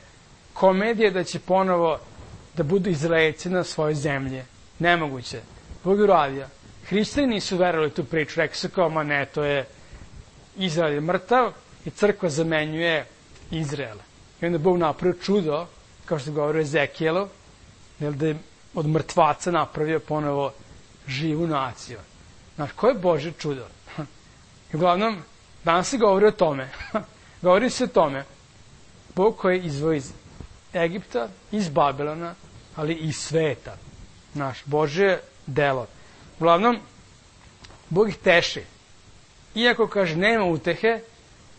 [SPEAKER 1] komedija da će ponovo da budu Izraelci na svojoj zemlji. Nemoguće. Bog je uradio. Hrišćani nisu verovali tu priču. Rekli su kao, ma ne, to je Izrael je mrtav i crkva zamenjuje Izrael. I onda Bog napravio čudo, kao što govori o Ezekijelu, da je od mrtvaca napravio ponovo živu naciju. Znaš, koje je Božje čudo? I uglavnom, danas se govori o tome. Govori se o tome. Bog koji je izveo iz Egipta, iz Babilona, ali i iz sveta. Znaš, Božje delo. Uglavnom, Bog ih teši. Iako, kaže, nema utehe,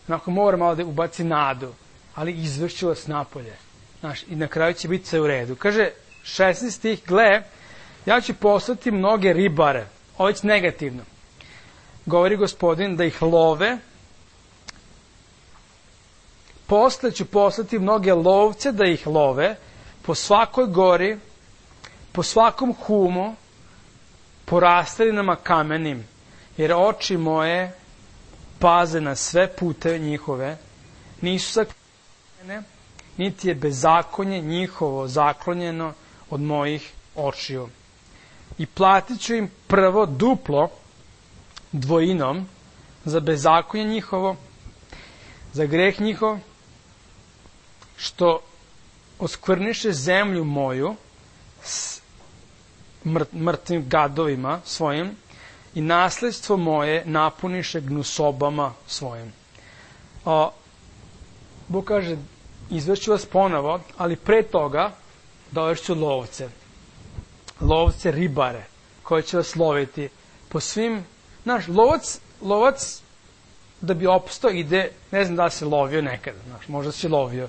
[SPEAKER 1] onako mora malo da ubaci nadu, ali izvršću vas napolje. Znaš, i na kraju će biti sve u redu. Kaže, 16 stih, gle, ja ću poslati mnoge ribare. Ovo je negativno. Govori Gospodin da ih love. Posle ću poslati mnoge lovce da ih love po svakoj gori, po svakom humu, po rastavinama kamenim, jer oči moje paze na sve puteve njihove, nisu saklonjene, niti je bezakonje njihovo zaklonjeno od mojih očiju. I platit ću im prvo duplo dvojinom za bezakonje njihovo, za greh njihov, što oskvrniše zemlju moju s mrtvim gadovima svojim i nasledstvo moje napuniše gnusobama svojim. Bog kaže, izvešću vas ponovo, ali pre toga dovešću lovce. Lovce ribare, koji će vas loviti po svim... Znaš, lovac da bi opstao ide, ne znam da se lovio nekada, znaš, možda si lovio,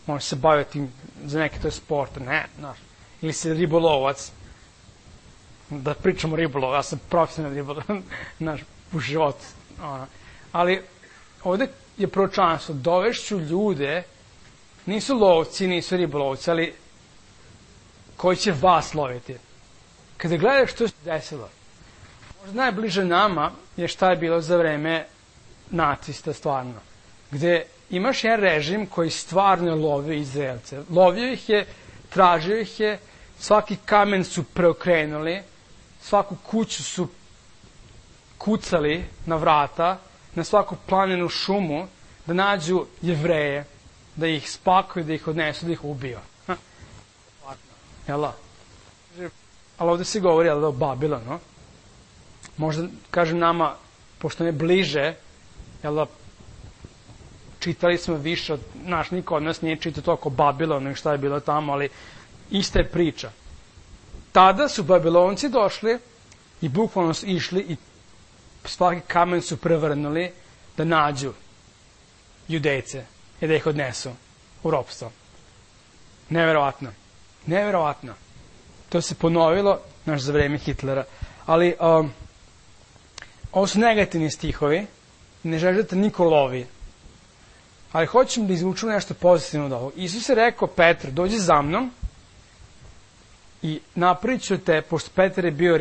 [SPEAKER 1] možda se bavio tim, za neke to je sport, ne, znaš, ili si ribolovac, da pričamo ribolov, ja sam profesionalni ribolov, znaš, u životu, ali ovde je proročanstvo, dovešću ljude, nisu lovci, nisu ribolovci, ali koji će vas loviti. Kada gledaš što se desilo, možda najbliže nama je šta je bilo za vreme nacista stvarno, gde imaš jedan režim koji stvarno lovio Izraelce. Lovio ih je, tražio ih je, svaki kamen su preokrenuli, svaku kuću su kucali na vrata, na svaku planinu šumu, da nađu Jevreje, da ih spakuju, da ih odnesu, da ih ubiju. Jel' ali ovde se govori o Babilonu. Možda, kažem nama, pošto ne bliže, jel' čitali smo više od, niko od nas nije čitao toliko Babilonu i šta je bilo tamo, ali ista je priča. Tada su Babilonci došli i bukvalno su išli i svaki kamen su prevrnuli da nađu Judejce i da ih odnesu u ropstvo. Neverovatno. Neverovatno. To se ponovilo, za vreme Hitlera. Ali, ovo su negativni stihovi, ne želim da te niko lovi. Ali hoćem da izvučem nešto pozitivno od ovog. Isus je rekao Petru, dođi za mnom i napravit ću te, pošto Petar je bio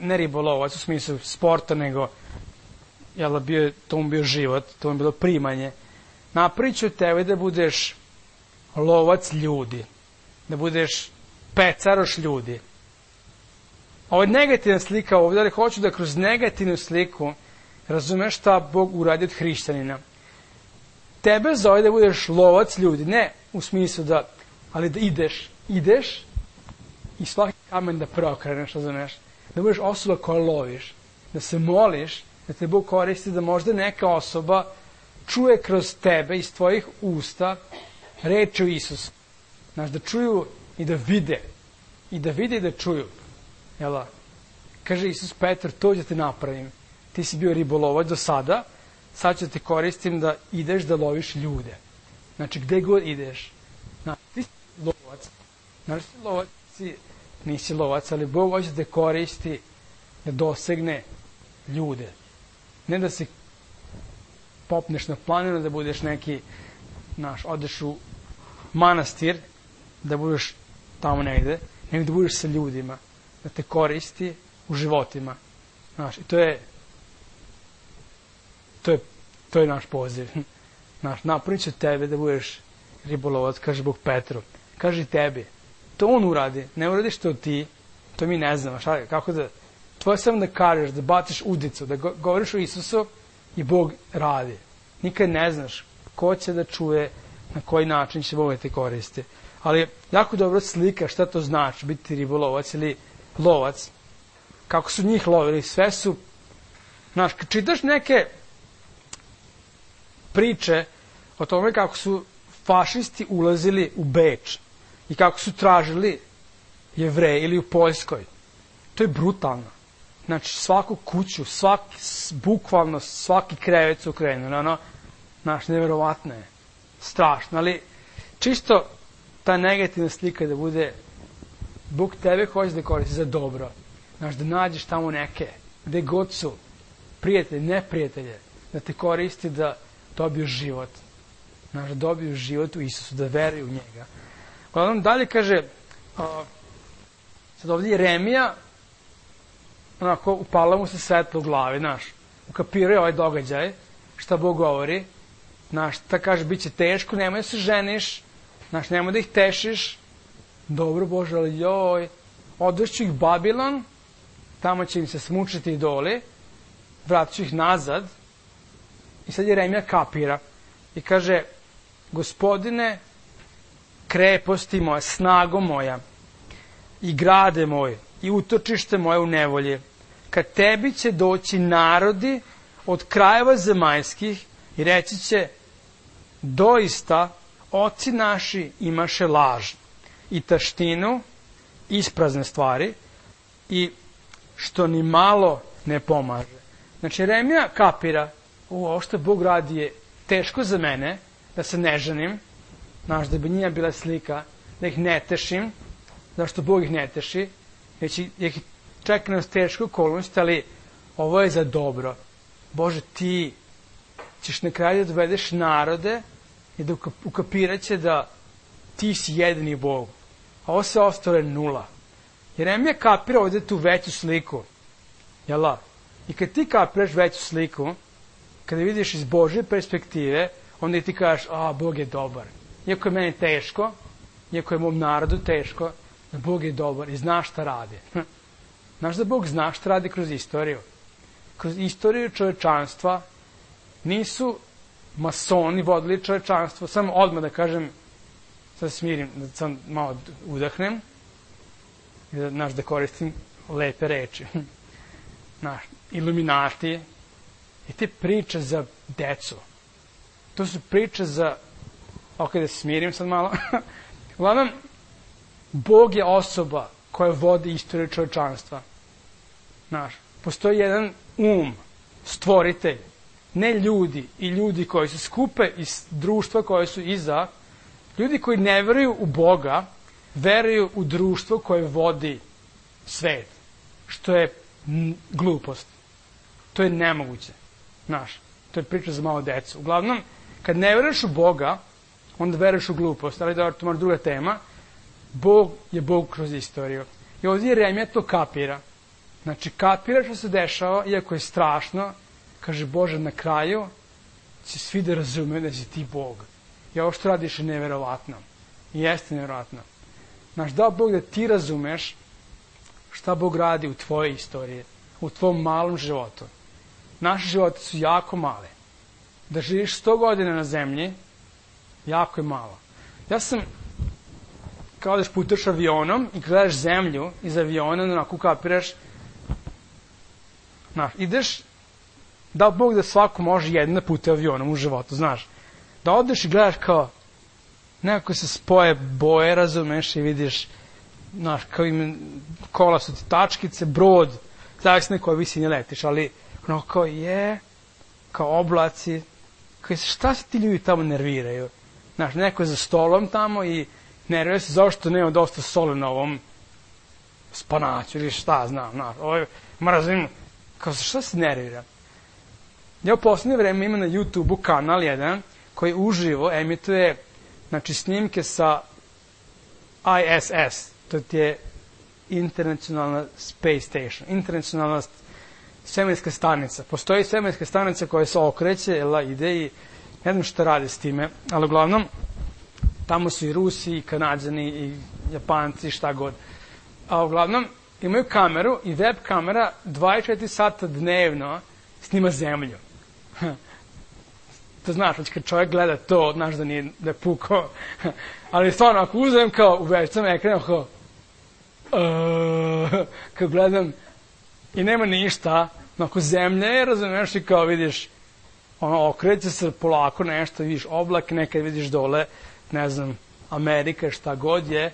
[SPEAKER 1] ne ribolovac u smislu sporta, nego to mu bio život, to mu bilo primanje. Napravit ću tebe da budeš lovac ljudi, da budeš pecaroš ljudi. Ovo je negativna slika ovdje, ali hoću da kroz negativnu sliku razumeš šta Bog uradi od hrišćanina. Tebe zove da budeš lovac ljudi, ne u smislu da, ali da ideš i svaki kamen da preokreneš, razumeš, da budeš osoba koja loviš, da se moliš, da te Bog koristi, da možda neka osoba čuje kroz tebe iz tvojih usta reči o Isusu. Znaš, da čuju i da vide. I da čuju. Jel' kaže Isus Petar, to ću te napravim. Ti si bio ribolovac do sada, sad ću te koristim da ideš da loviš ljude. Znači, gde god ideš. Znači, ti si lovac Znaš, nisi lovac, ali Bog hoće da koristi, da dosegne ljude. Ne da se popneš na planinu, da budeš neki, odeš u manastir, da budeš tamo negde, nego da budeš sa ljudima, da te koristi u životima. Znaš, i to je naš poziv. Napravit ću tebe da budeš ribolovac, kaže Bog Petru. Kaže tebi. To on uradi. Ne uradiš to ti. To mi ne znamo. Kako da... Tvoje samo da kažeš, da baciš udicu, da govoriš o Isusu i Bog radi. Nikad ne znaš ko će da čuje, na koji način će Bog da te koristi. Ali jako dobro slika šta to znači biti ribolovac ili lovac. Kako su njih lovili. Sve su... Znaš, kad čitaš neke priče o tome kako su fašisti ulazili u Beč i kako su tražili Jevreje ili u Poljskoj. To je brutalno. Znači, svaku kuću, bukvalno svaki krevet su krenuli. Neverovatno je. Strašno. Ali čisto ta negativna slika da bude Bog tebe hoće da koristi za dobro. Znaš, da nađeš tamo neke, gde god su, prijatelji, neprijatelje, da te koristi da dobiju život. Znaš, da dobiju život u Isusu, da veruju u njega. Uglavnom, dalje kaže, sad ovdje Jeremija, onako, upala mu se svetlo u glavi, znaš, ukapiruje ovaj događaj, šta Bog govori, znaš, ta kaže, bit će teško, nemoj da se ženiš, znaš, nemoj da ih tešiš, dobro Bože, ali joj, odvešću ih Babilon, tamo će im se smučiti idoli, vratit ću ih nazad, i sad Jeremija kapira i kaže, Gospodine, kreposti moja, snago moja, i grade moj, i utočište moje u nevolji, kad tebi će doći narodi od krajeva zemaljskih i reći će, doista, oci naši imaše laž i taštinu, isprazne stvari, i što ni malo ne pomaže. Znači, Jeremija kapira, ovo što Bog radi je teško za mene, da se ne ženim, znaš, da bi njima bila slika, da ih ne tešim, zašto Bog ih ne teši, jer ih čeka nas teško okolnosti, ali ovo je za dobro. Bože, ti ćeš na kraju da dovedeš narode i da ukapirat će da ti si jedini Bog. A ovo se ostalo je nula. Jeremija kapira ovdje tu veću sliku. Jel' I kad ti kapiraš veću sliku, kada vidiš iz Božje perspektive, onda ti kažeš, Bog je dobar. Iako je meni teško, iako je mom narodu teško, da Bog je dobar i zna šta radi. Znaš da Bog zna šta radi kroz istoriju. Kroz istoriju čovečanstva nisu masoni vodili čovečanstvo, samo odmah da kažem, sad smirim, da sam malo udahnem, i da koristim lepe reči. Iluminati i te priče za decu. To su priče za... Ok, da se smirim sad malo. Uglavnom, Bog je osoba koja vodi istoriju čovečanstva. Postoji jedan stvoritelj, ne ljudi i ljudi koji se skupe iz društva koje su iza, ljudi koji ne veruju u Boga, veruju u društvo koje vodi svet, što je glupost. To je nemoguće. To je priča za malo decu. Uglavnom, kad ne veruješ u Boga, onda veruješ u glupost. Ali dobro, to je druga tema. Bog je Bog kroz istoriju. I ovdje Jeremija to kapira. Znači, kapira što se dešava, iako je strašno, kaže Bože, na kraju će svi da razumeju da si ti Bog. I ovo što radiš je neverovatno. I jeste neverovatno. Da Bog da ti razumeš šta Bog radi u tvojoj istoriji, u tvom malom životu. Naši životi su jako mali. Da živiš 100 godina na zemlji, jako je malo. Ja sam, kao da putaš avionom i gledaš zemlju iz aviona, onako kapiraš, ideš, da Bog da svako može jedno da putuje avionom u životu, znaš. Da odeš i gledaš kao, nekako se spoje boje, razumeš, i vidiš, znaš, kao kola su ti tačkice, brod, zavisno na kojoj visini letiš, ali ono kao kao oblaci, kao šta se ti ljudi tamo nerviraju? Znaš, neko je za stolom tamo i nervira se zašto nema dosta soli na ovom spanaću ili šta znam, mrazim, kao šta se nervira? Ja u posljednje vreme imam na YouTube-u kanal jedan koji uživo emituje, znači, snimke sa ISS, to je Internacionalna Space Station, internacionalna svemirska stanica. Postoji svemirska stanica koja se okreće, ide i ne znam šta radi s time, ali uglavnom tamo su i Rusi, i Kanadžani, i Japanci, šta god. A uglavnom imaju kameru i web kamera 24 sata dnevno snima zemlju. To znaš, kad čovjek gleda to, znaš da nije da je pukao. Ali stvarno, ako uzem kao u večnom ekranu, kao gledam i nema ništa, ako zemlja je, razumiješ, i kao vidiš, okreće se polako nešto, vidiš oblak, nekad vidiš dole, ne znam, Amerika, šta god je,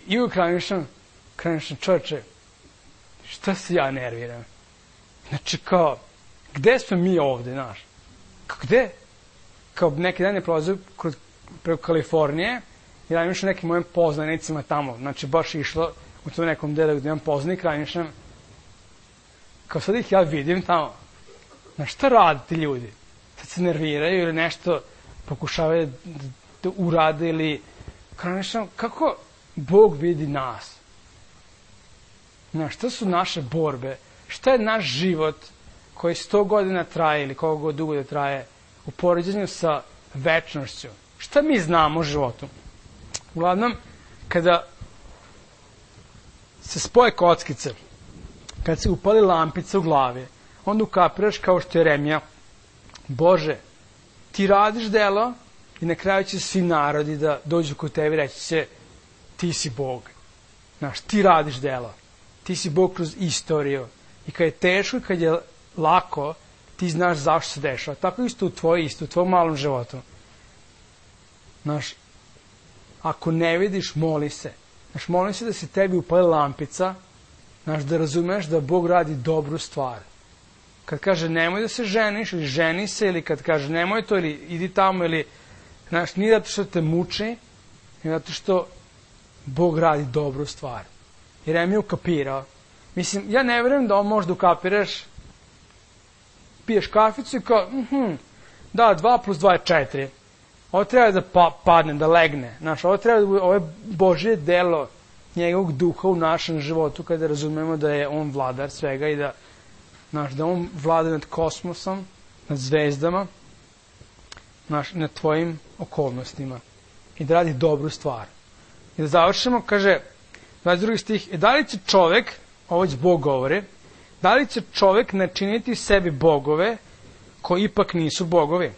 [SPEAKER 1] i u krajnješem čovječe, šta se ja nerviram? Znači, kao, gde smo mi ovde, znaš? Gde? Kao neki dan je prolazio preko Kalifornije i radim išao nekim mojim poznanicima tamo. Znači, baš išlo u tom nekom delu gde imam poznanik, radim išao. Kao sad ih ja vidim tamo. Znaš, šta rade ti ljudi? Sad se nerviraju ili nešto pokušavaju da urade ili... Kako Bog vidi nas? Znaš, šta su naše borbe? Šta je naš život koji 100 godina traje ili koliko god dugo da traje u poređenju sa večnošću? Šta mi znamo o životu? Uglavnom, kada se spoje kockice, kada se upali lampica u glavi, onda ukapiraš kao što je Jeremija, Bože, ti radiš delo i na kraju će svi narodi da dođu kod tebe i reći će, ti si Bog. Znaš, ti radiš delo. Ti si Bog kroz istoriju. I kad je teško i kad je lako, ti znaš zašto se dešava. Tako isto u tvojom malom životu. Znaš, ako ne vidiš, moli se. Znaš, moli se da se tebi upali lampica, znaš, da razumeš da Bog radi dobru stvar. Kad kaže nemoj da se ženiš, ili ženi se, ili kad kaže nemoj to, ili idi tamo, ili, znaš, nije zato što te muči, nego zato što Bog radi dobru stvar. Jeremija ukapirao. Mislim, ja ne vjerujem da on možda ukapiraš, piješ kaficu i kao, da, 2 + 2 je 4. Ovo treba da padne, da legne. Znaš, ovo je Božje delo njegovog duha u našem životu kada razumemo da je on vladar svega i da, znaš, da on vlada nad kosmosom, nad zvezdama, znaš, nad tvojim okolnostima i da radi dobru stvar. I da završimo, kaže, 22. stih, da li će čovek, ovo već Bog govori, da li će čovek načiniti sebi bogove koji ipak nisu bogovi?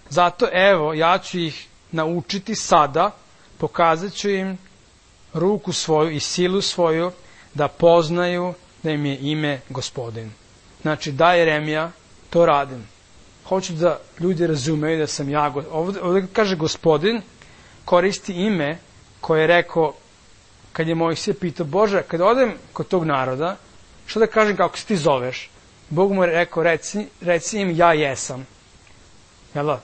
[SPEAKER 1] Zato, evo, ja ću ih naučiti sada, pokazat ću im ruku svoju i silu svoju, da poznaju da im je ime Gospodin. Znači, da, Jeremija, to radim. Hoću da ljudi razumeju da sam ja, ovdje kaže Gospodin, koristi ime koje je rekao, kad je Mojsije pitao, Bože, kad odem kod tog naroda, što da kažem kako se ti zoveš? Bog mu je rekao, reci im ja jesam. Jel da?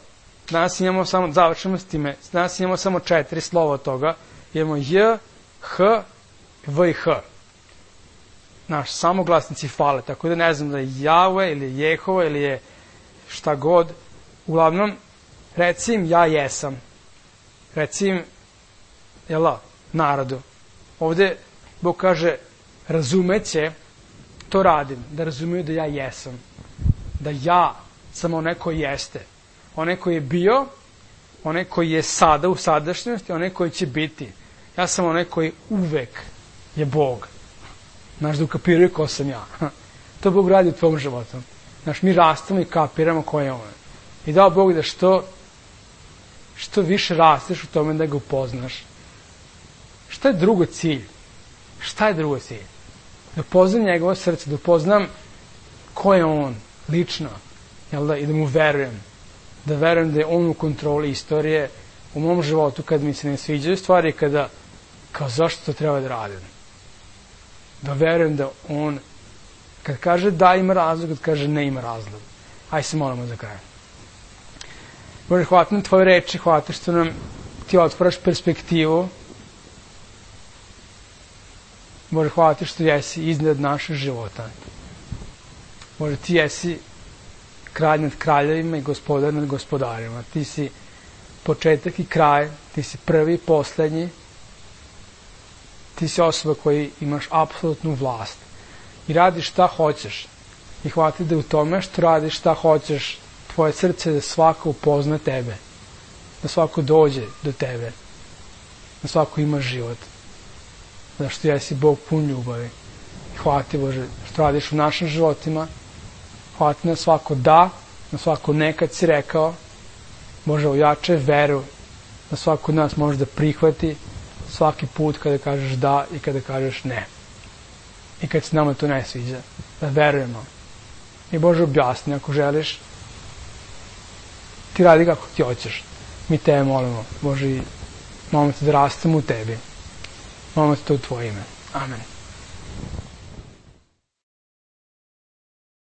[SPEAKER 1] Danas imamo samo, završimo s time, danas imamo samo 4 slova od toga. Imamo J, H, V i H. Naš, samoglasnici fale, tako da ne znam da je Jahve ili Jehova ili je šta god. Uglavnom, reci im ja jesam. Reci im, jel da, narodu. Ovde Bog kaže, razumeće, to radim, da razumiju da ja jesam. Da ja sam onaj koji jeste. Onaj koji je bio, onaj koji je sada u sadašnjosti, onaj koji će biti. Ja sam onaj koji uvek je Bog. Znaš, da ukapiraju ko sam ja. To Bog radi u tvojom životu. Znaš, mi rastamo i kapiramo ko je on. I dao Bog da što više rasteš u tome da ga upoznaš. Šta je drugo cilj? Šta je drugo cilj? Da upoznam njegovo srce, da upoznam ko je on, lično, jel da, i da mu verujem. Da verujem da je on u kontroli istorije u mom životu kad mi se ne sviđaju stvari, kada, kao zašto to treba da radim? Da verujem da on, kad kaže da ima razlog, kad kaže ne ima razlog. Hajde se molimo za kraj. Bože, hvala nam tvoje reči, hvala što nam ti otvaraš perspektivu. Bože, hvala ti što jesi iznad našeg života. Bože, ti jesi kralj nad kraljevima i gospodar nad gospodarima. Ti si početak i kraj, ti si prvi i poslednji. Ti si osoba koji imaš apsolutnu vlast i radiš šta hoćeš. I hvala ti da u tome što radiš šta hoćeš, tvoje srce da svako upozna tebe, da svako dođe do tebe, da svako ima život. Zašto jesi Bog pun ljubavi. I hvala ti, Bože, što radiš u našim životima. Hvala ti na svako da, na svako nekad si rekao. Bože, ojačaj veru, da svako od nas može da prihvati svaki put kada kažeš da i kada kažeš ne. I kad se nama to ne sviđa, da verujemo. I Bože, objasni ako želiš, ti radi kako ti hoćeš. Mi tebe molimo, Bože, i molimo te da rastemo u tebi. Molimo te to u tvoje ime. Amen.